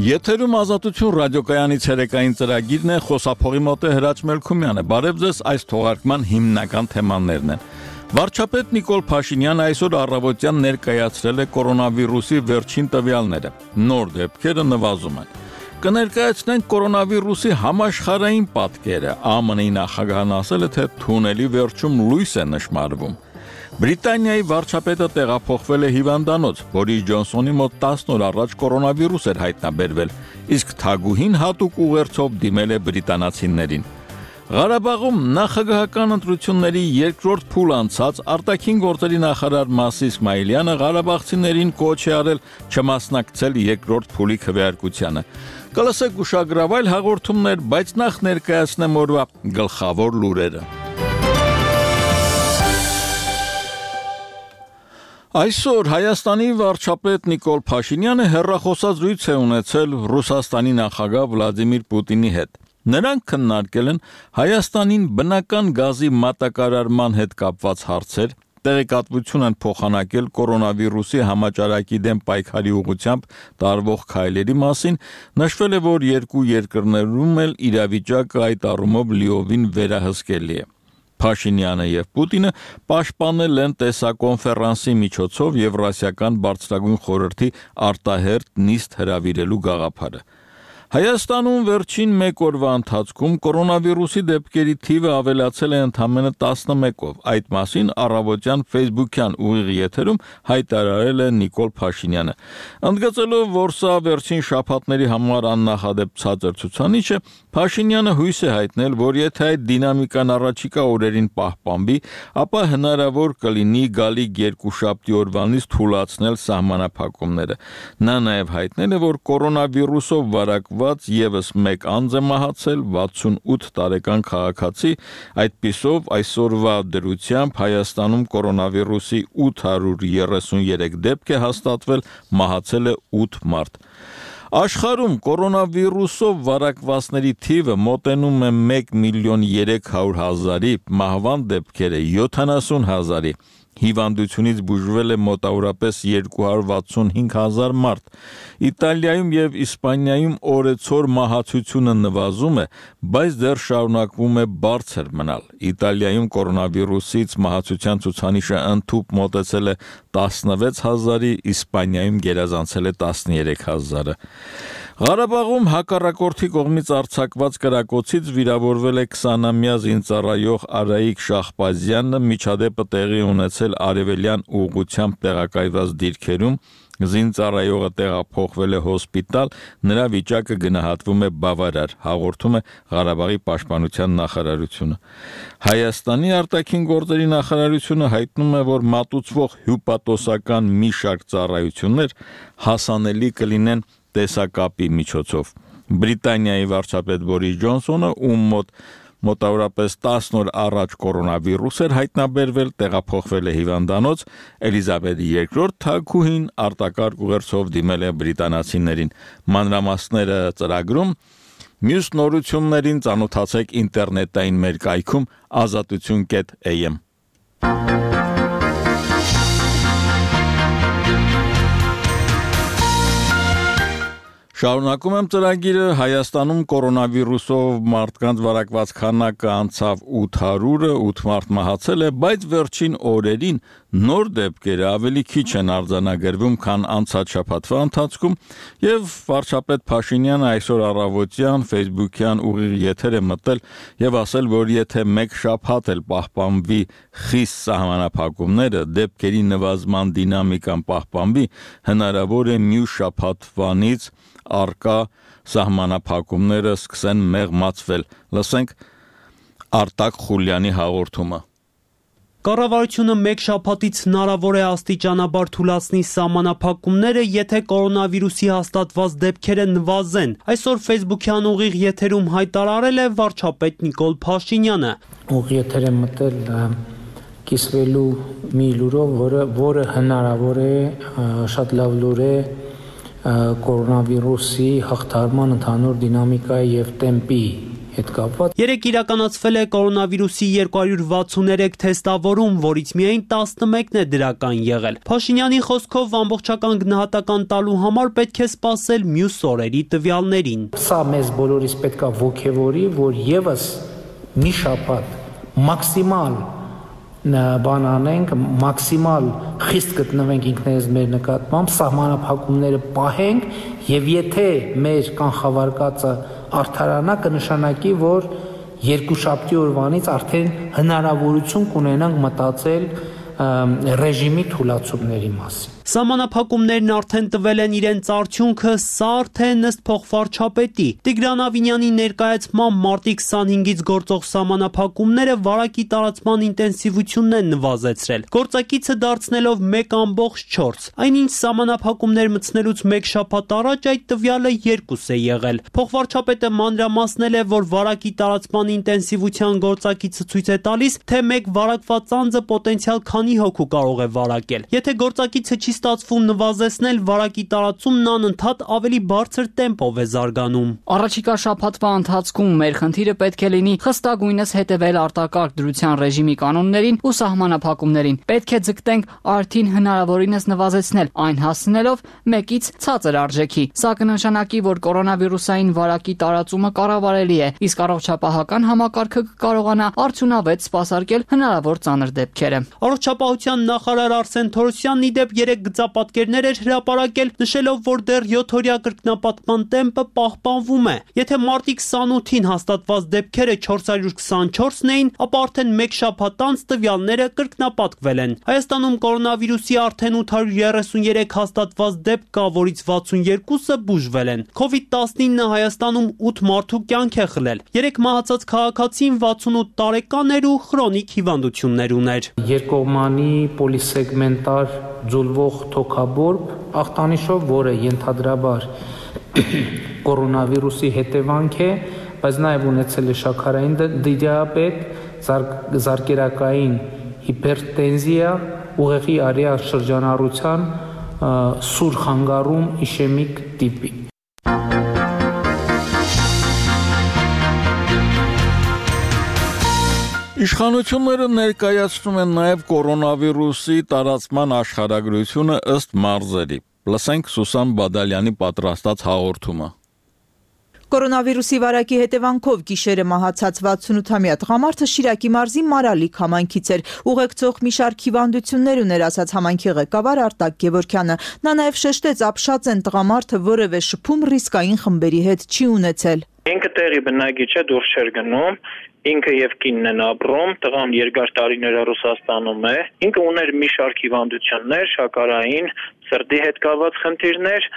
Եթերում ազատություն ռադիոկայանից հերեկային ծրագիրն է, խոսափողի մոտ է Հրաչ Մելքումյանը։ Բարև ձեզ, այս թողարկման հիմնական թեմաներն են։ Վարչապետ Նիկոլ Փաշինյանը այսօր առավոտյան ներկայացրել է կորոնավիրուսի վերջին տվյալները։ Նոր դեպքերը նվազում են։ Կներկայացնենք կորոնավիրուսի համաշխարհային պատկերը։ ԱՄՆ-ի նախագահն ասել է, թե թունելի վերջում լույս է նշմարվում։ Բրիտանիայի վարչապետը տեղափոխվել է հիվանդանոց, Բորիս Ջոնսոնի մոտ 10 օր առաջ կորոնավիրուս էր հայտնաբերվել, իսկ թագուհին հատուկ ուղերձով դիմել է բրիտանացիներին։ Ղարաբաղում նախագահական ընտրությունների երկրորդ փուլ անցած արտաքին գործերի նախարար Մասի Իսմայիլյանը ղարաբաղցիներին կոչ է արել չմասնակցել երկրորդ փուլի քվեարկությանը։ Կլսեք ուշագրավ այլ հաղորդումներ, բայց նախ ներկայացնեմ օրվա գլխավոր լուրերը։ Այսօր Հայաստանի վարչապետ Նիկոլ Փաշինյանը հեռախոսազրույց է ունեցել Ռուսաստանի նախագահ Վլադիմիր Պուտինի հետ։ Նրանք քննարկել են Հայաստանին բնական գազի մատակարարման հետ կապված հարցեր, տեղեկատվություն են փոխանակել կորոնավիրուսի համաճարակի դեմ պայքարի ուղղությամբ տարվող քայլերի մասին, նշվել է, որ երկու երկրներում էլ իրավիճակը այդ առումով լիովին վերահսկելի է։ Փաշինյանը եւ Պուտինը պաշտպանել են տեսակոնֆերանսի միջոցով Եվրասիական բարձրագույն խորհրդի արտահերթ նիստ հրավիրելու գաղափարը։ Հայաստանում վերջին մեկ օրվա ընթացքում կորոնավիրուսի դեպքերի թիվը ավելացել է ընդամենը 11-ով։ Այդ մասին առավոտյան Facebook-յան ուղիղ եթերում հայտարարել է Նիկոլ Փաշինյանը։ Ընդգծելով, որ սա վերջին շաբաթների համար աննախադեպ ցածր ցուցանիշ է, Փաշինյանը հույս է հայտնել, որ եթե այդ դինամիկան առաջիկա օրերին պահպանվի, ապա հնարավոր կլինի գալիք երկուշաբթի օրվանից թույլատրել սահմանափակումները։ Նա նաև հայտնել է, որ կորոնավիրուսով վարակված եւս մեկ անձ է մահացել, 68 տարեկան քաղաքացի, այդպիսով այսօրվա դրությամբ Հայաստանում կորոնավիրուսի 833 դեպք է հաստատվել, մահացել է 8 մարդ։ Աշխարհում կորոնավիրուսով վարակվածների թիվը մոտենում է 1.3 միլիոն, մահվան դեպքերը 70,000-ի։ Հիվանդությունից բուժվել է մոտավորապես 265,000 մարդ։ Իտալիայում եւ Իսպանիայում օրեցօր մահացությունը նվազում է, բայց դեռ շարունակվում է բարձր մնալ։ Իտալիայում կորոնավիրուսից մահացության ցուցանիշը ընդհուպ մոտեցել է 16,000-ի, Իսպանիայում գերազանցել է 13,000-ը։ Ղարաբաղում հակառակորդի կողմից արձակված կրակոցից վիրավորվել է 20-ամյա զինծառայող Արայիկ Շահբազյանը, միջադեպը տեղի ունեցել արևելյան ուղղությամբ տեղակայված դիրքերում, զինծառայողը տեղափոխվել է հոսպիտալ, նրա վիճակը գնահատվում է բավարար, հաղորդում է Ղարաբաղի պաշտպանության նախարարությունը։ Հայաստանի արտաքին գործերի նախարարությունը հայտնում է, որ մատուցվող հյուպատոսական մի շարք ծառայություններ հասանելի կլինեն տեսակապի միջոցով։ Բրիտանիայի վարչապետ Բորիս Ջոնսոնը, ում մոտավորապես 10 օր առաջ կորոնավիրուս էր հայտնաբերվել, տեղափոխվել է հիվանդանոց, Էլիզաբեթ II թագուհին արտակարգ ուղերձով դիմել է բրիտանացիներին։ Մանրամասները ծրագրում, մյուս նորություններին ծանոթացեք ինտերնետային մեր կայքում azatutun.am։ Շարունակում եմ ծրագիրը։ Հայաստանում կորոնավիրուսով մարդկանց վարակված քանակը անցավ 800-ը, 8 մարդ մահացել է, բայց վերջին օրերին նոր դեպքերը ավելի քիչ են արձանագրվում, քան անցած շաբաթվա ընթացքում, եւ վարչապետ Փաշինյանը այսօր առավոտյան Facebook-յան ուղիղ եթեր է մտել եւ ասել, որ եթե մեկ շաբաթ էլ պահպանվի խիստ սահմանափակումները, դեպքերի նվազման դինամիկան պահպանվի, հնարավոր է մյուս շաբաթվանից արկա սահմանափակումները սկսեն մեղմացվել։ Լսենք Արտակ Խուլյանի հաղորդումը։ Կառավարությունը մեկ շաբաթից հնարավոր է աստիճանաբար թուլացնի սահմանափակումները, եթե կորոնավիրուսի հաստատված դեպքերը նվազեն։ Այսօր Facebook-յան ուղիղ եթերում հայտարարել է վարչապետ Նիկոլ Փաշինյանը։ Ուղիղ եթեր է մտել կիսվելու մի լուրով, որը հնարավոր է, շատ լավ լուր է կորոնավիրուսի հաղթահարման ընդհանուր դինամիկայի եւ տեմպի հետ կապված։ Երեկ իրականացվել է կորոնավիրուսի 263 թեստավորում, որից միայն 11-ն է դրական եղել։ Փաշինյանի խոսքով ամբողջական գնահատական տալու համար պետք է սպասել մյուս օրերի տվյալներին։ Սա մեզ բոլորիս պետք է ոգևորի, որ եւս մի շաբաթ մաքսիմալ բան անենք, մաքսիմալ խիստ գտնվենք ինքներս մեր նկատմամբ, սահմանափակումները պահենք եւ եթե մեր կանխավարկածը արդարանա կնշանակի, որ երկուշաբթի օրվանից արդեն հնարավորություն կունենանք մտածել ռեժիմի թույլատումների մասին։ Սահմանափակումներն արդեն տվել են իրենց արդյունքը, սա արդեն ըստ փոխվարչապետի Տիգրան Ավինյանի ներկայացմամբ մարտի 25-ից գործող սահմանափակումները վարակի տարածման ինտենսիվությունն են նվազեցրել, գործակիցը դարձնելով 1.4։ Այնինչ սահմանափակումներ մտցնելուց մեկ շաբաթ առաջ այդ տվյալը 2 է եղել։ Փոխվարչապետը մանրամասնել է, որ վարակի տարածման ինտենսիվության գործակիցը ցույց է տալիս, թե մեկ վարակված անձը պոտենցիալ քանի հոգու կարող է վարակել։ Եթե գործակիցը չի ստացվում նվազեցնել, վարակի տարածումն անընդհատ ավելի բարձր տեմպով է զարգանում։ Առաջիկա շաբաթվա ընթացքում մեր խնդիրը պետք է լինի խստագույնս հետևել արտակարգ դրության ռեժիմի կանոններին ու սահմանափակումներին։ Պետք է ձգտենք արդին հնարավորինս նվազեցնել, այն հասցնելով 1-ից ցածր արժեքի։ Սա կնշանակի, որ կորոնավիրուսային վարակի տարածումը կառավարելի է, իսկ առողջապահական համակարգը կկարողանա արդյունավետ սպասարկել հնարավոր ծանր դեպքերը։ Առողջապահության նախարար Արսեն Թորոսյանն ի դեպ երեք գծապատկերներ էր հրապարակել, նշելով, որ դեռ 7-օրյա կրկնապատկման տեմպը պահպանվում է։ Եթե մարտի 28-ին հաստատված դեպքերը 424-ն էին, ապա արդեն մեկ շաբաթ անց տվյալները կրկնապատկվել են։ Հայաստանում կորոնավիրուսի արդեն 833 հաստատված դեպք կա, որից 62-ը բուժվել են։ COVID-19-ը Հայաստանում 8 մարդու կյանք է խլել։ 3 մահացած քաղաքացին 68 տարեկան էր ու խրոնիկ հիվանդություններ ուներ։ Երկկողմանի պոլիսեգմենտար ձուլվող թոքաբորբ ախտանիշով, որը ենթադրաբար կորոնավիրուսի հետևանք է, բայց նաև ունեցել է շաքարային դիաբետ, զարկերակային հիպերտենզիա, ուղեղի արիա շրջանառության սուր խանգարում իշեմիկ տիպի։ Իշխանությունները ներկայացնում են նաև կորոնավիրուսի տարածման աշխարհագրությունը ըստ մարզերի։ Լսենք Սուսան Բադալյանի պատրաստած հաղորդումը։ Կորոնավիրուսի վարակի հետևանքով գիշերը մահացած 68-ամյա տղամարդը Շիրակի մարզի Մարալիք համայնքից էր։ Ուղեկցող մի շարք հիվանդություններ ուներ, ասաց համայնքի ղեկավար Արտակ Գևորգյանը։ Նա նաև շեշտեց, ապշած են տղամարդը որևէ շփում ռիսկային խմբերի հետ չի ունեցել։ Ինքը տեղի բնակիչ է, դուրս չէր գնում, ինքը եւ կինն են ապրում, տղան երկար տարիներ Ռուսաստանում է, ինքը ուներ մի շարք հիվանդություններ, շաքարային, սրտի հետ կապված խնդիրներ,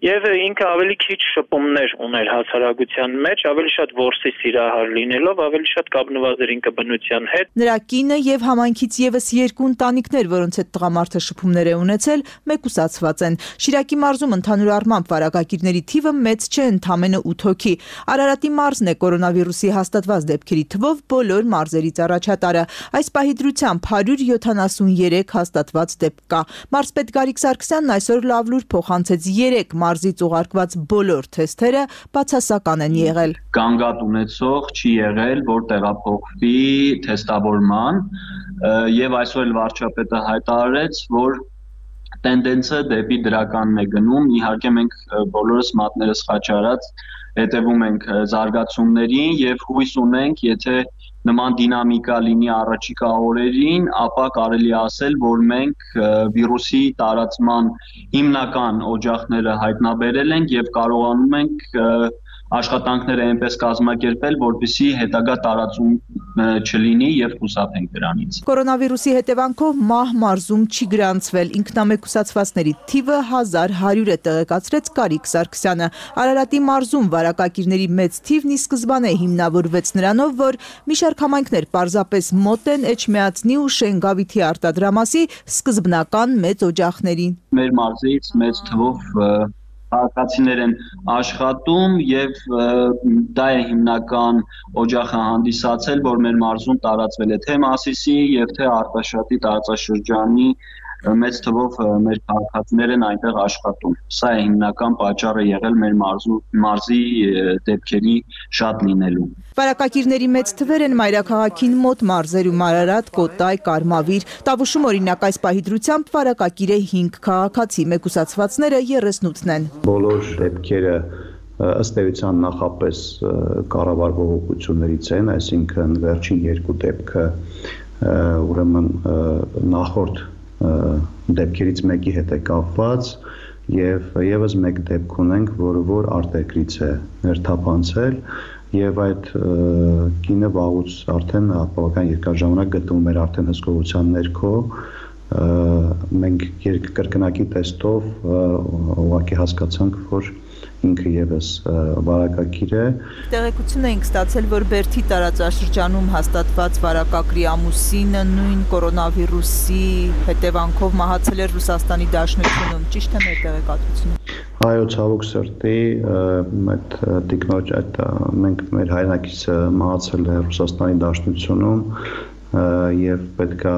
եւ ինքը ավելի քիչ շփումներ ուներ հասարակության մեջ, ավելի շատ որսի սիրահար լինելով, ավելի շատ կապնված էր ինքը բնության հետ։ Նրա կինը եւ համայնքից եւս 2 ընտանիքներ, որոնց հետ տղամարդը շփումներ է ունեցել, մեկուսացված են։ Շիրակի մարզում ընդհանուր առմամբ վարակագիրների թիվը մեծ չէ, ընդամենը 8 հոգի։ Արարատի մարզն է կորոնավիրուսի հաստատված դեպքերի թվով բոլոր մարզերից առաջատարը։ Այս պահի դրությամբ 173 հաստատված դեպք կա։ Մարզպետ Գարիկ Սարգսյանն այսօր լավ լուր փոխանցեց 3 մարզից ուղարկված բոլոր թեստերը բացասական են եղել։ Գանգատ ունեցող չի եղել, որ տեղափոխվի թեստավորման, եւ այսօր վարչապետը հայտարարեց, որ տենդենսը դեպի դրականն է գնում։ Իհարկե մենք բոլորս մատներս խաչարած հետևում ենք զարգացումներին եւ հույս ունենք, եթե նման դինամիկա լինի առաջիկա օրերին, ապա կարելի ասել, որ մենք վիրուսի տարածման հիմնական օջախները հայտնաբերել ենք եւ կարողանում ենք աշխատանքները այնպես կազմակերպել, որպեսզի հետագա տարածում չլինի եւ խուսափենք դրանից։ Կորոնավիրուսի հետևանքով մահ մարզում չի գրանցվել, ինքնամեկուսացվածների թիվը 1100 է, տեղեկացրեց Գարիկ Սարգսյանը։ Արարատի մարզում վարակագիրների մեծ թիվն ի սկզբանե հիմնավորվեց նրանով, որ մի շարք համայնքներ պարզապես մոտ են Էջմիածնի ու Շենգավիթի արտադրամասի սկզբնական մեծ օջախներին։ Մեր մարզից մեծ թվով քաղաքացիներ են աշխատում եւ դա է հիմնական օջախը հանդիսացել, որ մեր մարզում տարածվել է թե Մասիսի եւ թե Արտաշատի տարածաշրջանի մեծ թվով մեր քաղաքացիներ են այնտեղ աշխատում։ Սա է հիմնական պատճառը եղել մեր մարզի դեպքերի շատ լինելու։ Վարակագիրների մեծ թվեր են մայրաքաղաքին մոտ մարզերում Արարատ, Կոտայ, Կարմավիր։ Տավուշում օրինակ այս պահի դրությամբ վարակագիր է 5 քաղաքացի, մեկուսացվածները 38-ն են։ Բոլոր դեպքերը ըստ էության նախապես կառավարվող ուղղություններից են, այսինքն վերջին 2 դեպքը ուրեմն նախորդ դեպքերից մեկի հետ է կապված եւ եւս մեկ դեպք ունենք, որ արտերկրից է ներթափանցել եւ այդ կինը վաղուց արդեն բավական երկար ժամանակ գտնվում էր արդեն հսկողության ներքո մենք կրկնակի տեստով ուղղակի հասկացանք, որ ինքը եւս վարակագիր է։ Տեղեկություն էինք ստացել, որ Բերդի տարածաշրջանում հաստատված վարակագրի ամուսինը նույն կորոնավիրուսի հետևանքով մահացել էր Ռուսաստանի Դաշնությունում, ճիշտ է մեր տեղեկատվությունը։ Այո, ցավոք սրտի, այդ տիկնոջ մենք մեր հայրենակիցը մահացել է Ռուսաստանի Դաշնությունում եւ պետքա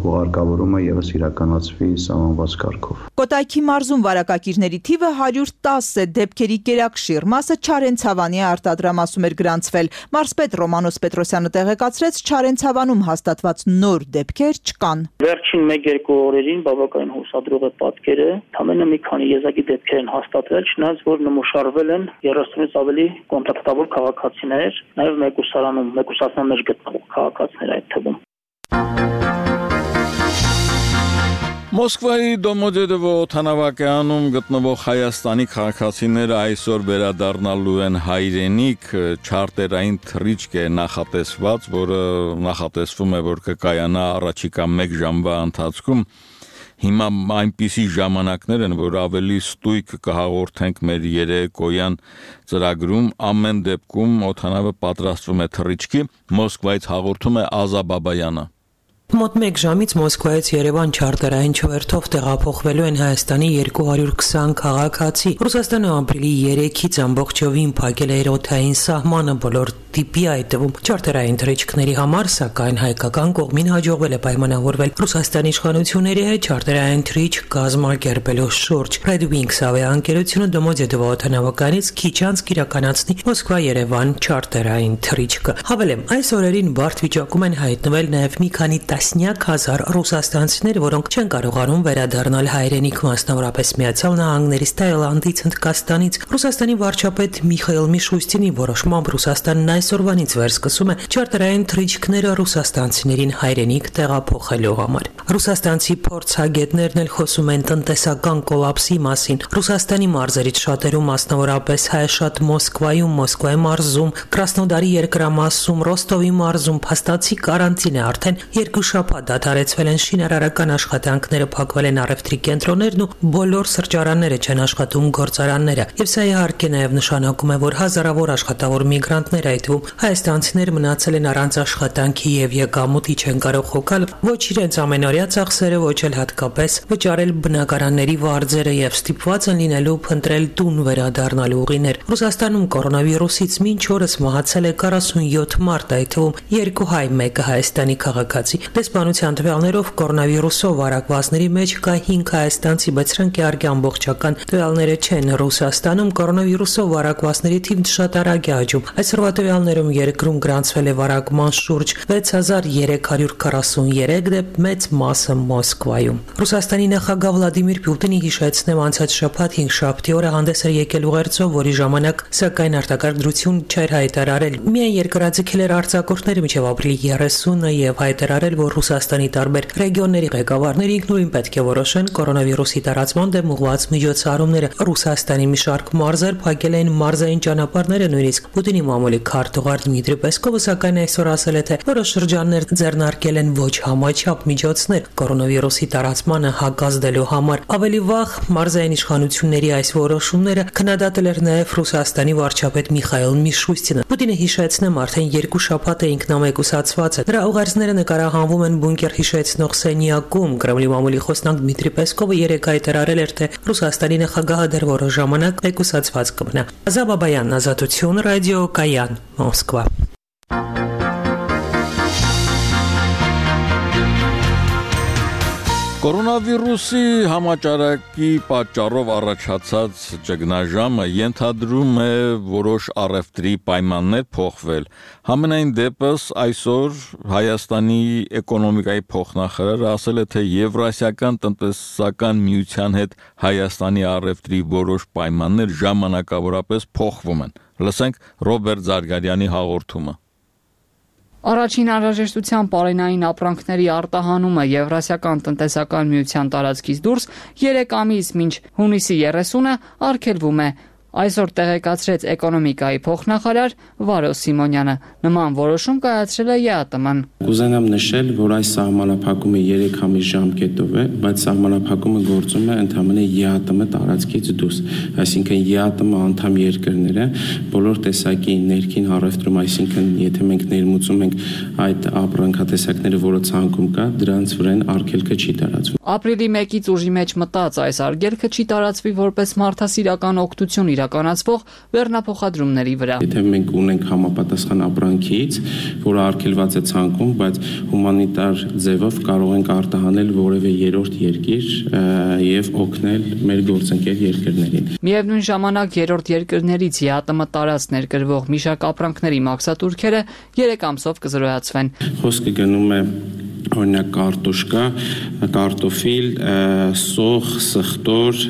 հուղարկավորումը եւս իրականացվի սահմանված կարգով։ Կոտայքի մարզում վարակագիրների թիվը 110 է, դեպքերի գերակշիռ մասը Չարենցավանի արտադրամասում էր գրանցվել։ Մարզպետ Ռոմանոս Պետրոսյանը տեղեկացրեց, Չարենցավանում հաստատված նոր դեպքեր չկան։ Վերջին 1-2 օրերին բավականին հուսադրող է պատկերը, ամենը մի քանի եզակի դեպքեր են հաստատվել, չնայած որ նմուշարվել են 30-ից ավելի կոնտակտավոր քաղաքացիներ, նաեւ մեկուսացմաններ գտնվող քաղաքացիներ այդ թվում։ Մոսկվայի Դոմոդեդովո օդանավակայանում գտնվող Հայաստանի քաղաքացիները այսօր վերադառնալու են հայրենիք, չարտերային թռիչք է նախատեսված, որը նախատեսվում է, որ կկայանա առաջիկա 1 ժամվա ընթացքում։ Հիմա այնպիսի ժամանակներ են, որ ավելի ստույգ կհաղորդենք մեր երեկոյան ծրագրում, ամեն դեպքում օդանավը պատրաստվում է թռիչքի, Մոսկվայից հաղորդում է Ազա Բաբայանը։ Մոտ 1 ժամից Մոսկվայից Երևան չարտերային չվերթով տեղափոխվելու են Հայաստանի 220 քաղաքացի։ Ռուսաստանը ապրիլի 3-ից ամբողջովին փակել է օդային սահմանը բոլոր տիպի, այդ թվում չարտերային թռիչքների համար, սակայն հայկական կողմին հաջողվել է պայմանավորվել Ռուսաստանի իշխանությունների հետ չարտերային թռիչք կազմակերպելու շուրջ։ Red Wings ավիաընկերությունը Դոմոդեդովո օդանավակայանից քիչ անց կիրականացնի Մոսկվա-Երևան չարտերային թռիչքը։ Հավելեմ, այս օրերին բարդ վիճակում են հայտնվել նաև մի քանի տասնյակ հազար ռուսաստանցիներ, որոնք չեն կարողանում վերադառնալ հայրենիք, մասնավորապես Միացյալ Նահանգներից, Թայլանդից, Հնդկաստանից։ Ռուսաստանի վարչապետ Միխայիլ Միշուստինի որոշմամբ Ռուսաստանն այսօրվանից վերսկսում է չարտերային թռիչքները ռուսաստանցիներին հայրենիք տեղափոխելու համար։ Ռուսաստանցի փորձագետներն էլ խոսում են տնտեսական կոլապսի մասին։ Ռուսաստանի մարզերից շատերում, մասնավորապես Հայաշատ Մոսկվայում, Մոսկվայի մարզում, Կրասնոդարի երկրամասում, Ռոստովի մարզում փաստացի կարանտին է արդեն 2 շաբաթ դադարեցվել են շինարարական աշխատանքները, փակվել են առևտրի կենտրոններն ու բոլոր սրճարանները չեն աշխատում, գործարանները։ Եվ սա իհարկե նաև նշանակում է, որ հազարավոր աշխատավոր միգրանտներ, այդ թվում հայաստանցիներ, մնացել են առանց աշխատանքի եւ եկամուտի, չեն կարող հոգալ ոչ իրենց ամենօրյա ծախսերը, ոչ էլ հատկապես վճարել բնակարանների վարձերը եւ ստիպված են լինելու փնտրել տուն վերադառնալու ուղիներ։ Ռուսաստանում կորոնավիրուսից մինչ օրս մահացել է 47 մարդ, այդ թվում 2 հայ, 1 հայաստանի քաղաքացի։ Դեսպանության տվյալներով կորոնավիրուսով վարակվածների մեջ կա 5 հայաստանցի, բայց սրանք իհարկե ամբողջական տվյալները չեն։ Ռուսաստանում կորոնավիրուսով վարակվածների թիվն շատ արագ է աճում։ Այսօրվա տվյալներում երկրում գրանցվել է վարակման շուրջ 6343 դեպք, մեծ մասը Մոսկվայում։ Ռուսաստանի նախագահ Վլադիմիր Պուտինի հիշեցնեմ անցած շաբաթ 5-շաբթի օրը հանդես էր եկել ուղերձով, որի ժամանակ սակայն արտակարգ դրություն չէր հայտարարել։ Միայն երկրաձգել էր արձակուրդները մինչև ապրիլի 30-ը եւ հայտարարել, որ Ռուսաստանի տարբեր ռեգիոնների ղեկավարները ինքնուրույն պետք է որոշեն կորոնավիրուսի տարածման դեմ ուղղված միջոցառումները։ Ռուսաստանի մի շարք մարզեր փակել են մարզային ճանապարհները, նույնիսկ Պուտինի մամուլի քարտուղար Դմիտրի Պեսկովը սակայն այսօր ասել է, թե որոշ շրջաններ ձեռնարկել են ոչ համաչափ միջոցներ կորոնավիրուսի տարածմանը հակազդելու համար։ Ավելի վաղ մարզային իշխանությունների այս որոշումները քննադատել էր նաև Ռուսաստանի վարչապետ Միխայիլ Միշուստինը։ Պուտինը հիշեցնեմ արդեն 2 շաբաթ է ինքնամեկուսացված է։ Նրա ուղերձները նկարահանվում են բունկեր հիշեցնող սենյակում։ Կրեմլի մամուլի խոսնակ Դմիտրի Պեսկովը երեկ հայտարարել էր, թե Ռուսաստանի նախագահը դեռ որոշ ժամանակ մեկուսացված կմնա։ Ազա Բաբայան, Ազատություն, ռադիո Կայան, Մոսկվա։ Կորոնավիրուսի համաճարակի պատճառով առաջացած ճգնաժամը ենթադրում է որոշ առևտրի պայմաններ փոխվել։ Համենայն դեպս այսօր Հայաստանի էկոնոմիկայի փոխնախարարը ասել է, թե Եվրասիական տնտեսական միության հետ Հայաստանի առևտրի որոշ պայմաններ ժամանակավորապես փոխվում են։ Լսենք Ռոբերտ Զարգարյանի հաղորդումը։ Առաջին անհրաժեշտության պարենային ապրանքների արտահանումը Եվրասիական տնտեսական միության տարածքից դուրս 3 ամիս մինչ հունիսի 30-ը արգելվում է։ Այսօր տեղեկացրեց էկոնոմիկայի փոխնախարար Վարո Սիմոնյանը։ Նման որոշում կայացրել է ԵԱՏՄ-ն։ Կուզենամ նշել, որ այս սահմանափակումը 3 ամիս ժամկետով է, բայց սահմանափակումը գործում է ընդհանրապես ԵԱՏՄ տարածքից դուրս։ Այսինքն ԵԱՏՄ անդամ երկրները բոլոր տեսակի ներքին առևտրում, այսինքն եթե մենք ներմուծում ենք այդ ապրանքատեսակները, որը ցանկում կա, դրանց վրան արգելքը չի տարածվում։ Ապրիլի 1-ից ուժի մեջ մտած այս արգելքը չի տարածվի որպես մարդասիրական օգնություն իրականացվող բեռնափոխադրումների վրա։ Եթե մենք ունենք համապատասխան ապրանքից, որը արգելված է ցանկում, բայց հումանիտար ձևով կարող ենք արտահանել որևէ երրորդ երկիր եւ օգնել մեր գործընկեր երկրներին։ Միևնույն ժամանակ երրորդ երկրներից ԵԱՏՄ տարած ներկրվող մի շարք ապրանքների մաքսատուրքերը 3 ամսով կզրոյացվեն։ Խոսքը գնում է օրինակ կարտոշկա, կարտոֆիլ, սոխ, սխտոր,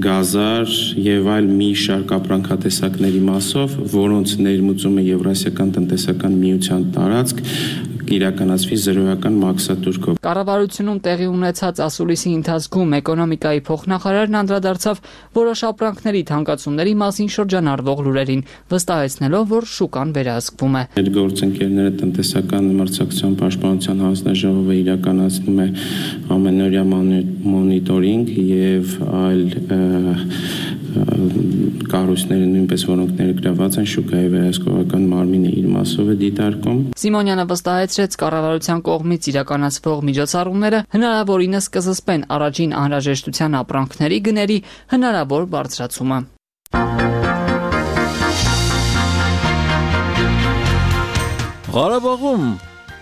գազար եւ այլ մի շարք ապրանքատեսակների մասով, որոնց ներմուծումը Եվրասիական տնտեսական միության տարածք իրականացվի զրոյական մաքսատուրքով։ Կառավարությունում տեղի ունեցած ասուլիսի ընթացքում էկոնոմիկայի փոխնախարարն անդրադարձավ որոշ ապրանքների թանկացումների մասին շրջանառվող լուրերին, վստահեցնելով, որ շուկան վերահսկվում է։ Մեր գործընկերները տնտեսական մրցակցության պաշտպանության հանձնաժողովը իրականացնում է ամենօրյա մոնիտորինգ եւ այլ կառույցները նույնպես որոնք ներգրաված են շուկայի վերահսկողական մարմինը իր մասով է դիտարկում։ Սիմոնյանը վստահեցրեց կառավարության կողմից իրականացվող միջոցառումները հնարավորինս կզսպեն առաջին անհրաժեշտության ապրանքների գների հնարավոր բարձրացումը։ Ղարաբաղում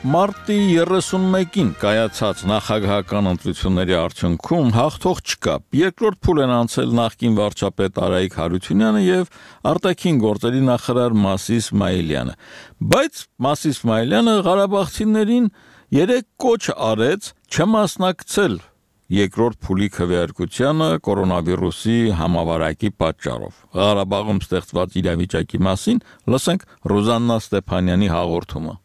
մարտի 31-ին կայացած նախագահական ընտրությունների արդյունքում հաղթող չկա։ Երկրորդ փուլ են անցել նախկին վարչապետ Արայիկ Հարությունյանը եւ արտաքին գործերի նախարար Մասի Իսմայելյանը։ Բայց Մասի Իսմայելյանը ղարաբաղցիներին 3 կոչ արեց չմասնակցել երկրորդ փուլի քվեարկությանը կորոնավիրուսի համավարակի պատճառով։ Ղարաբաղում ստեղծված իրավիճակի մասին լսենք Ռուզաննա Ստեփանյանի հաղորդումը։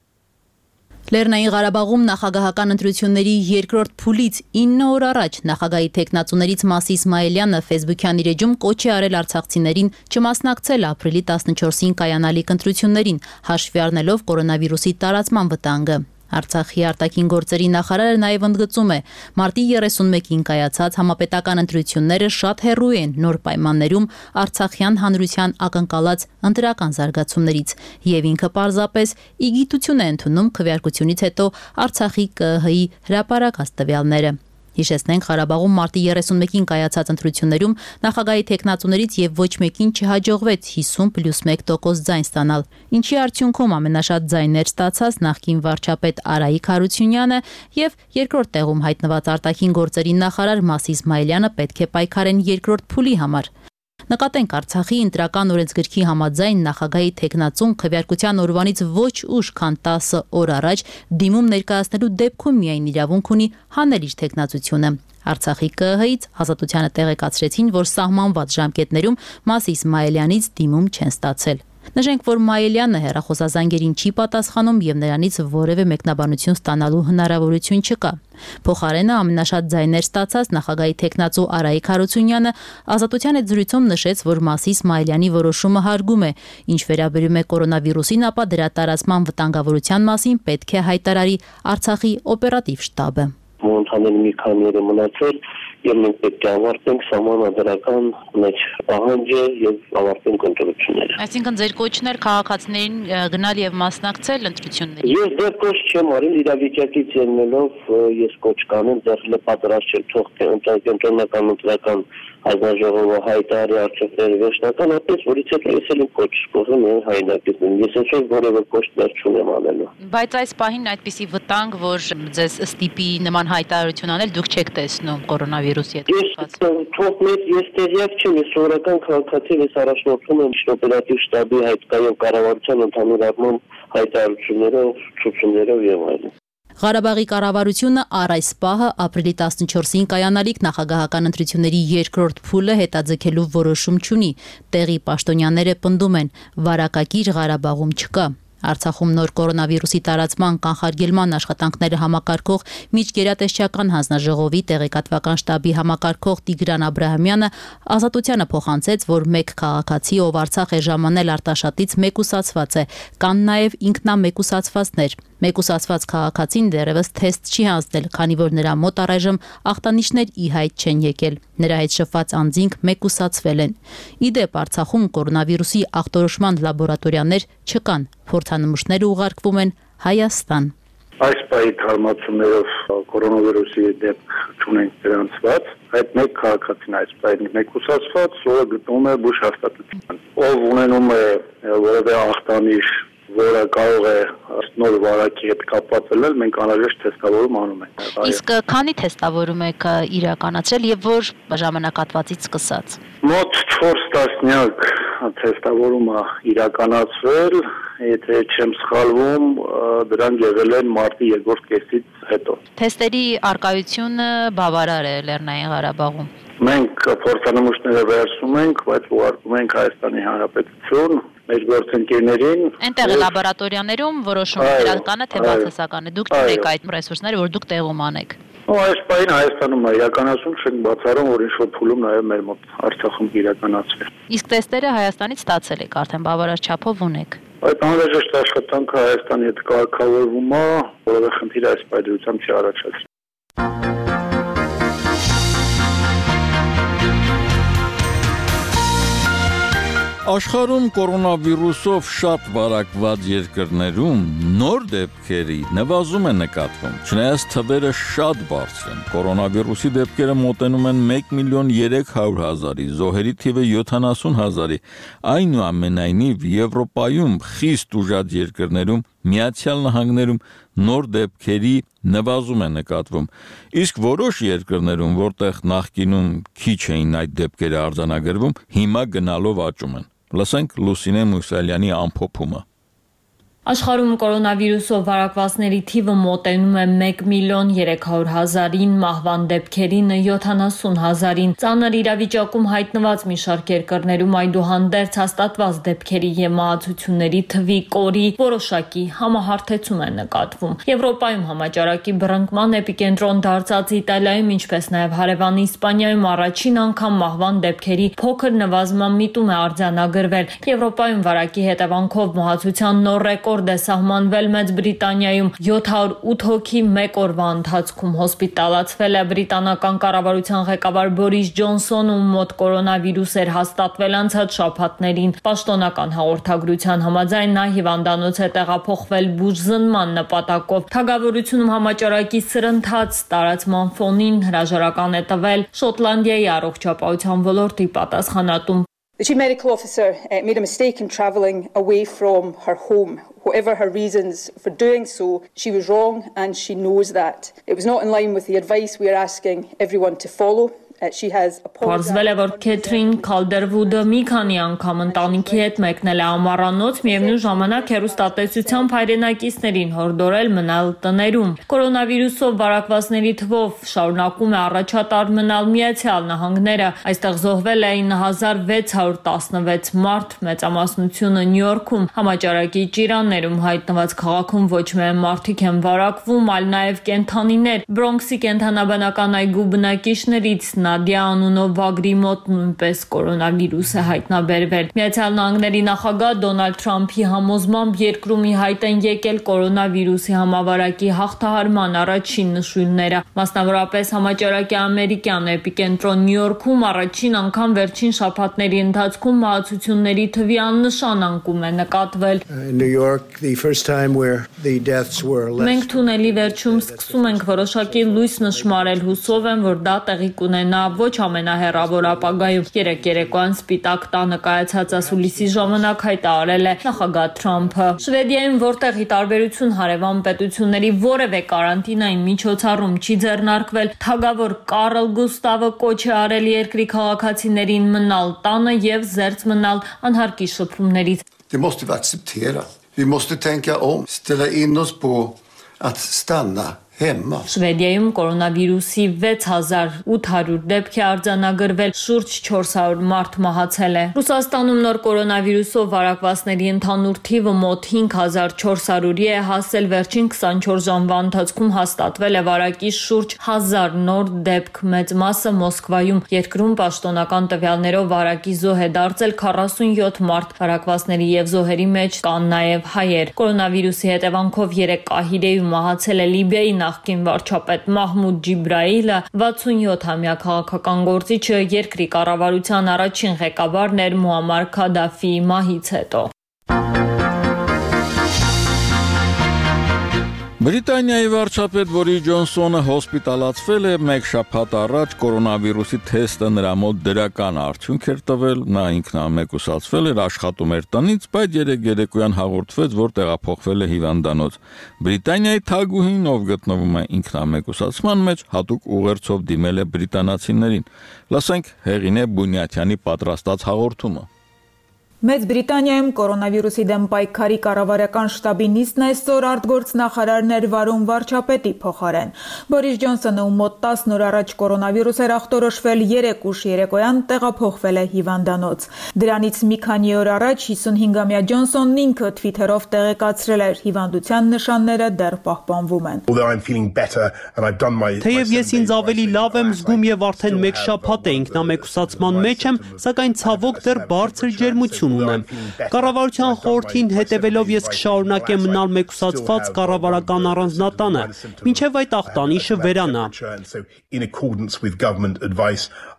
Լեռնային Ղարաբաղում նախագահական ընտրությունների երկրորդ փուլից 9 օր առաջ նախագահի թեկնածուներից Մասի Իսմայելյանը Facebook-յան իր էջում կոչ է արել արցախցիներին չմասնակցել ապրիլի 14-ին կայանալիք ընտրություններին, հաշվի առնելով կորոնավիրուսի տարածման վտանգը։ Արցախի արտաքին գործերի նախարարը նաև ընդգծում է, մարտի 31-ին կայացած համապետական ընտրությունները շատ հեռու են նոր պայմաններում արցախյան հանրության ակնկալած ընտրական զարգացումներից եւ ինքը պարզապես ի գիտություն է ընդունում քվեարկությունից հետո Արցախի ԿԸՀ-ի հրապարակած տվյալները։ Հիշեցնենք, Ղարաբաղում մարտի 31-ին կայացած ընտրություններում նախագահի թեկնածուներից եւ ոչ մեկին չհաջողվեց 50+1% ձայն ստանալ, ինչի արդյունքում ամենաշատ ձայներ ստացած նախկին վարչապետ Արայիկ Հարությունյանը եւ երկրորդ տեղում հայտնված արտաքին գործերի նախարար Մասի Իսմայելյանը պետք է պայքարեն երկրորդ փուլի համար։ Նկատենք Արցախի ընտրական օրենսգրքի համաձայն նախագահի թեկնածուն քվեարկության օրվանից ոչ ուշ, քան 10 օր առաջ դիմում ներկայացնելու դեպքում միայն իրավունք ունի հանել իր թեկնածությունը։ Արցախի ԿԸՀ-ից Ազատությանը տեղեկացրեցին, որ սահմանված ժամկետներում Մասի Իսմայելյանից դիմում չեն ստացել։ Նշենք, որ Մայելյանը հեռախոսազանգերին չի պատասխանում եւ նրանից որևէ մեկնաբանություն ստանալու հնարավորություն չկա։ Փոխարենը ամենաշատ ձայներ ստացած նախագահի թեկնածու Արայիկ Հարությունյանը Ազատության հետ զրույցում նշեց, որ Մասի Իսմայելյանի որոշումը հարգում է, ինչ վերաբերում է կորոնավիրուսին, ապա դրա տարածման վտանգավորության մասին պետք է հայտարարի Արցախի օպերատիվ շտաբը։ Ընդհանուր մի քանի օր մնացել եւ մենք պետք է ավարտենք սահմանադրական մեջ պահանջը եւ ավարտենք ընտրությունները։ Այսինքն ձեր կոչն էր քաղաքացիներին գնալ եւ մասնակցել ընտրություններին։ Ես դեռ կոչ չեմ արել, իրավիճակից ելնելով ես կոչ կանեմ, դեռ պատրաստ չեմ թող կենտրոնական ընտրական հանձնաժողովը հայտարարի արժեքները վերջնականապես, որից հետո ես էլ կոչ կողմ եմ հայնակիցն։ Ես ինչ որևէ կոչներ չունեմ անելու։ Բայց այս պահին այդպիսի վտանգ, որ ձեզ ստիպի նման հայտարարություն անել, դուք չեք տեսնում կորոնավիրուսի հետ կապված։ Ես տեղյակ չեմ, ես սովորական քաղաքացի, ես առաջնորդում եմ օպերատիվ շտաբի հայկական կառավարության ընդհանուր առմամբ հայտարարություններով, ցուցումներով եւ այլն։ Ղարաբաղի կառավարությունը առ այս պահը ապրիլի 14-ին կայանալիք նախագահական ընտրությունների երկրորդ փուլը հետաձգելու որոշում չունի։ Տեղի պաշտոնյաները պնդում են, վարակագիր Ղարաբաղում չկա։ Արցախում նոր կորոնավիրուսի տարածման կանխարգելման աշխատանքները համակարգող միջգերատեսչական հանձնաժողովի տեղեկատվական շտաբի համակարգող Տիգրան Աբրահամյանը Ազատությանը փոխանցեց, որ մեկ քաղաքացի, ով Արցախ է ժամանել Արտաշատից, մեկուսացված է, կան նաև ինքնամեկուսացվածներ։ Մեկուսացված քաղաքացին դեռևս թեստ չի հանձնել, քանի որ նրա մոտ առայժմ ախտանիշներ ի հայտ չեն եկել։ Նրա հետ շփված անձինք մեկուսացվել են։ Ի դեպ, Արցախում կորոնավիրուսի ախտորոշման լաբորատորիաներ չկան։ Փորձանմուշները ուղարկվում են Հայաստան։ Այս պահի թարմացումներով կորոնավիրուսի դեպք չունենք գրանցված, այդ մեկ քաղաքացին այս պահի մեկուսացված, ով գտնվում է բուժ հաստատության։ Ով ունենում է որևէ ախտանիշ, որը կարող է նոր վարակի հետ կապված լինել, մենք անհրաժեշտ թեստավորում անում ենք։ Իսկ քանի թեստավորում եք իրականացրել եւ որ ժամանակահատվածից սկսած։ Մոտ 4 տասնյակ թեստավորում է իրականացվել, եթե չեմ սխալվում, դրանք եղել են մարտի երկրորդ կեսից հետո։ Թեստերի արկայությունը բավարար է Լեռնային Ղարաբաղում։ Մենք փորձանմուշները վերցնում ենք, բայց ուղարկում ենք Հայաստանի Հանրապետություն, մեր գործընկերներին։ Այնտեղ լաբորատորիաներում որոշումը իրական է թե բացասական է։ Դուք չունեք այդ ռեսուրսները, որ դուք տեղում անեք։ Այս պահին Հայաստանում է իրականացում, չենք բացառում, որ ինչ-որ փուլում նաև մեր մոտ Արցախում իրականացվի։ Իսկ թեստերը Հայաստանից ստացել եք, արդեն բավարար չափով ունեք։ Այդ անհրաժեշտ աշխատանքը Հայաստանի հետ կարգավորվում է, որովհետև խնդիր այս պայմանությամբ չի առաջացել։ Աշխարհում կորոնավիրուսով շատ վարակված երկրներում նոր դեպքերի նվազում է նկատվում։ Չնայած թվերը շատ բարձր են, կորոնավիրուսի դեպքերը մոտենում են 1.3 միլիոն, զոհերի թիվը 70,000-ի։ Այնուամենայնիվ Եվրոպայում խիստ ուժած երկրներում, Միացյալ Նահանգներում նոր դեպքերի նվազում է նկատվում։ Իսկ որոշ երկրներում, որտեղ նախկինում քիչ էին այդ դեպքերը արձանագրվում, հիմա գնալով աճում են։ Լսենք Լուսինե Մուսալյանի ամփոփումը։ Աշխարհում կորոնավիրուսով վարակվածների թիվը մոտենում է 1.3 միլիոն, մահվան դեպքերին 70,000-ին։ Ծանր իրավիճակում հայտնված մի շարք երկրներում այդուհանդերձ հաստատված դեպքերի եւ մահացությունների թվի կորի որոշակի համահարթեցում է նկատվում։ Եվրոպայում համաճարակի բռնկման էպիկենտրոն դարձած Իտալիայում, ինչպես նաեւ հարևան Իսպանիայում առաջին անգամ մահվան դեպքերի փոքր նվազման միտում է արձանագրվել։ Եվրոպայում վարակի հետևանքով մահացության նոր ռեկորդ է սահմանվել Մեծ Բրիտանիայում 708 հոգի մեկ օրվա ընթացքում հոսպիտալացվել է։ Բրիտանական կառավարության ղեկավար Բորիս Ջոնսոնը մոտ կորոնավիրուս էր հաստատվել անցած շաբաթներին։ Պաշտոնական հաղորդագրության համաձայն նա հիվանդանոց է տեղափոխվել բուժզնման նպատակով։ Թագավորությունում համաճարակի սրընթաց տարածման ֆոնին հրաժարական է տվել Շոտլանդիայի առողջապահության ոլորտի պատասխանատուն The chief medical officer made a mistake in travelling away from her home. Whatever her reasons for doing so, she was wrong and she knows that. It was not in line with the advice we are asking everyone to follow. Պարզվել է, որ Քեթրին Քալդերվուդը մի քանի անգամ ընտանիքի հետ մեկնել է ամառանոց, միևնույն ժամանակ հեռուստատեսությամբ հայրենակիցներին հորդորել մնալ տներում։ Կորոնավիրուսով վարակվածների թվով շարունակում է առաջատար մնալ Միացյալ Նահանգները։ Այստեղ զոհվել է 9616 մարդ, մեծամասնությունը Նյու Յորքում։ Համաճարակի ճիրաններում հայտնված քաղաքում ոչ միայն մարդիկ են վարակվում, այլ նաև կենդանիներ։ Բրոնքսի կենդանաբանական այգու բնակիչներից Նադիա անունով վագրի մոտ նույնպես կորոնավիրուս է հայտնաբերվել։ Միացյալ Նահանգների նախագահ Դոնալդ Թրամփի համոզմամբ երկրում ի հայտ են եկել կորոնավիրուսի համավարակի հաղթահարման առաջին նշույլները։ Մասնավորապես համաճարակի ամերիկյան էպիկենտրոն Նյու Յորքում առաջին անգամ վերջին շաբաթների ընթացքում մահացությունների թվի աննշան անկում է նկատվել։ Մենք թունելի վերջում սկսում ենք որոշակի լույս նշմարել, հուսով եմ, որ դա տեղի կունենա կմնա ոչ ամենահեռավոր ապագայում։ Երեկ երեկոյան Սպիտակ տանը կայացած ասուլիսի ժամանակ հայտարարել է նախագահ Թրամփը։ Շվեդիայում, որտեղ ի տարբերություն հարևան պետությունների որևէ կարանտինային միջոցառում չի ձեռնարկվել, թագավոր Կարլ Գուստավը կոչ է արել երկրի քաղաքացիներին մնալ տանը եւ զերծ մնալ անհարկի շփումներից։ Det måste vi acceptera. Vi måste tänka om, ställa in oss på att stanna hemma. Շվեդիայում կորոնավիրուսի 6800 դեպք է արձանագրվել, շուրջ 400 մարդ մահացել է։ Ռուսաստանում նոր կորոնավիրուսով վարակվածների ընդհանուր թիվը մոտ 5400-ի է հասել, վերջին 24 ժամվա ընթացքում հաստատվել է վարակի շուրջ 1000 նոր դեպք, մեծ մասը Մոսկվայում։ Երկրում պաշտոնական տվյալներով վարակի զոհ է դարձել 47 մարդ, վարակվածների եւ զոհերի մեջ կան նաեւ հայեր։ Կորոնավիրուսի հետևանքով 3 կահիրեյում մահացել է Լիբիայի նախկին վարչապետ Մահմուդ Ջիբրայիլը, 67-ամյա քաղաքական գործիչը երկրի կառավարության առաջին ղեկավարն էր Մուամար Քադաֆիի մահից հետո։ Բրիտանիայի վարչապետ Բորիս Ջոնսոնը հոսպիտալացվել է մեկ շաբաթ առաջ կորոնավիրուսի թեստը նրա մոտ դրական արդյունք էր տվել, նա ինքնամեկուսացվել էր, աշխատում էր տնից, բայց երեկոյան հաղորդվեց, որ տեղափոխվել է հիվանդանոց։ Բրիտանիայի թագուհին, ով գտնվում է ինքնամեկուսացման մեջ, հատուկ ուղերձով դիմել է բրիտանացիներին։ Լսենք Հեղինե Բունյաթյանի պատրաստած հաղորդումը։ Մեծ Բրիտանիայում կորոնավիրուսի դեմ պայքարի կառավարական շտաբի նիստն այսօր արտգործնախարարն էր վարում վարչապետի փոխարեն։ Բորիս Ջոնսոնը, ում մոտ 10 օր առաջ կորոնավիրուս էր ախտորոշվել, 3 ուշ երեկոյան տեղափոխվել է հիվանդանոց։ Դրանից մի քանի օր առաջ 55-ամյա Ջոնսոնն ինքը Twitter-ով տեղեկացրել էր, հիվանդության նշանները դեռ պահպանվում են։ Թեև ես ինձ ավելի լավ եմ զգում եւ արդեն մեկ շաբաթ է ինքնամեկուսացման մեջ եմ, սակայն ցավոք դեռ բարձր ջերմություն ունեմ։ Կառավարության խորհրդին հետևելով ես կշարունակեմ մնալ մեկուսացված կառավարական առանձնատանը, մինչև այդ ախտանիշը վերանա։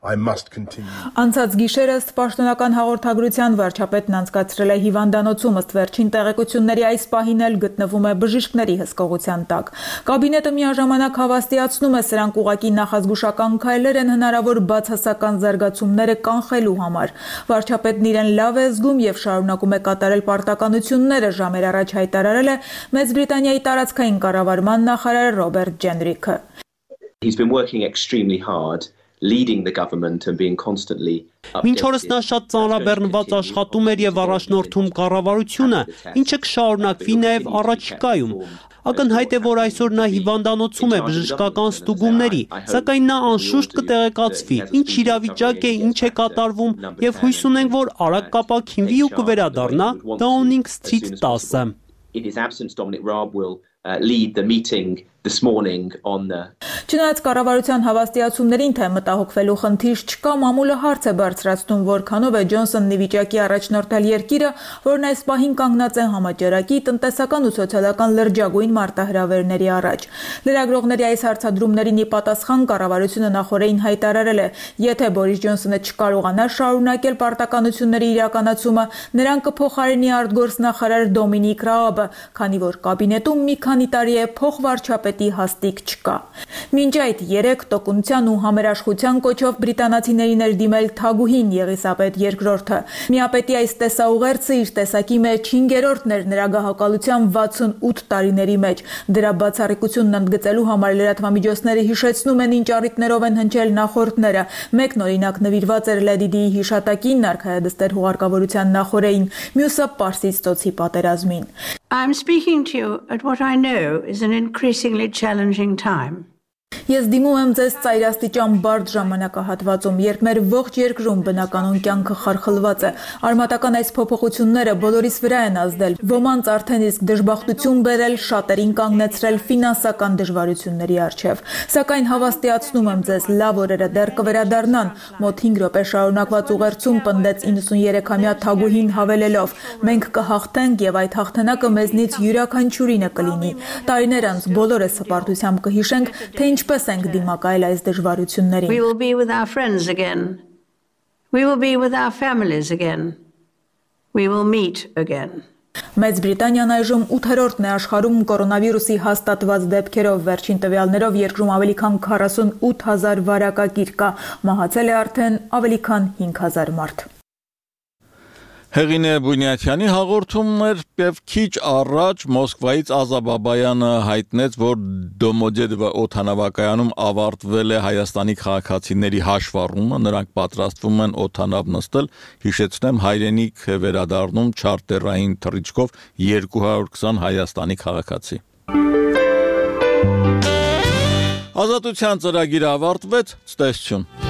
Անցած գիշեր ըստ պաշտոնական հաղորդագրության վարչապետն անցկացրել է հիվանդանոցում, ըստ վերջին տեղեկությունների այս պահին էլ գտնվում է բժիշկների հսկողության տակ։ Կաբինետը միաժամանակ հավաստիացնում է, սրանք ուղղակի նախազգուշական քայլեր են հնարավոր բացասական զարգացումները կանխելու համար։ Վարչապետն իրեն լավ է զգում եւ շարունակում է կատարել պարտականությունները, ժամեր առաջ հայտարարել է Մեծ Բրիտանիայի տարածքային կառավարման նախարար Ռոբերտ Ջենրիքը։ He's been working extremely hard. Leading the government and being constantly Մինչ օրս նա շատ ծանրաբեռնված աշխատում էր եւ առաջնորդում կառավարությունը, ինչը կշարունակվի նաեւ առաջիկայում։ Ակնհայտ է, որ այսօր նա հիվանդանոցում է բժշկական ստուգումների, սակայն նա անշուշտ կտեղեկացվի, ինչ իրավիճակ է, ինչ է կատարվում եւ հույս ունենք, որ արագ կապակցվի ու կվերադառնա Downing Street 10-ը։ In his absence, Dominic Raab will lead the meeting this morning on the Չնայած կառավարության հավաստիացումներին, թե մտահոգվելու խնդիր չկա, մամուլը հարց է բարձրացնում, որքանով է Ջոնսոնն ի վիճակի առաջնորդել երկիրը, որն այս պահին կանգնած է համաճարակի, տնտեսական ու սոցիալական լրջագույն մարտահրավերների առաջ։ Լրագրողների այս հարցադրումներին ի պատասխան կառավարությունը նախորդին հայտարարել է, եթե Բորիս Ջոնսոնը չկարողանա շարունակել պարտականությունների իրականացումը, նրան կփոխարինի արտգործնախարար Դոմինիկ Ռաաբը, քանի որ կաբինետում մի քանի տարի է փոխվարչապետի հաստիք չկա։ Մինչ այդ 3 տոկունության ու համերաշխության կոչով բրիտանացիներին էր դիմել թագուհին Եղիսաբեթ II-ը։ Միապետի այս տեսաուղերձը իր տեսակի մեջ 5-րդն էր նրա գահակալության 68 տարիների մեջ։ Դրա բացառիկությունն ընդգծելու համար լրատվամիջոցները հիշեցնում են, ինչ առիթներով են հնչել նախորդները։ Մեկն օրինակ նվիրված էր Լեդի Դիի հիշատակին, արքայադստեր հուղարկավորության նախորդին, մյուսը Պարսից ծոցի պատերազմին։ I'm speaking to you at what I know is an increasingly challenging time. Ես դիմում եմ ձեզ ծայրաստիճան բարդ ժամանակահատվածում, երբ մեր ողջ երկրում բնականon կյանքը խարխլված է։ Արմատական այս փոփոխությունները բոլորիս վրա են ազդել։ Ոմանց արդեն իսկ դժբախտություն բերել, շատերին կանգնեցրել ֆինանսական դժվարությունների առջև։ Սակայն հավաստիացնում եմ ձեզ, լավ օրերը դեռ կվերադառնան։ Մոտ 5 րոպե շարունակված ուղերձում պնդեց 93-ամյա թագուհին հավելելով. մենք կհաղթենք եւ այդ հաղթանակը մեզնից յուրաքանչյուրինը կլինի։ Տարիներ անց բոլորս հպարտությամբ կհիշենք, թե ինչպես ենք դիմակայել այս դժվարություններին։ We will be with our friends again. We will be with our families again. We will meet again. Մեծ Բրիտանիան այժմ 8-րդն է աշխարհում կորոնավիրուսի հաստատված դեպքերով, վերջին տվյալներով երկրում ավելի քան 48,000 վարակագիր կա, մահացել է արդեն ավելի քան 5,000 մարդ։ Հեղինե Բունյաթյանի հաղորդումն էր եւ քիչ առաջ Մոսկվայից Ազաբաբայանը հայտնեց, որ Դոմոդեդովո օդանավակայանում ավարտվել է Հայաստանի քաղաքացիների հաշվառումը, նրանք պատրաստվում են օդանավ նստել, հիշեցնեմ հայրենիք է վերադառնում չարտերային թռիչքով 220 Հայաստանի քաղաքացի։ Ազատության ծրագիրը ավարտվեց, ցտեսություն։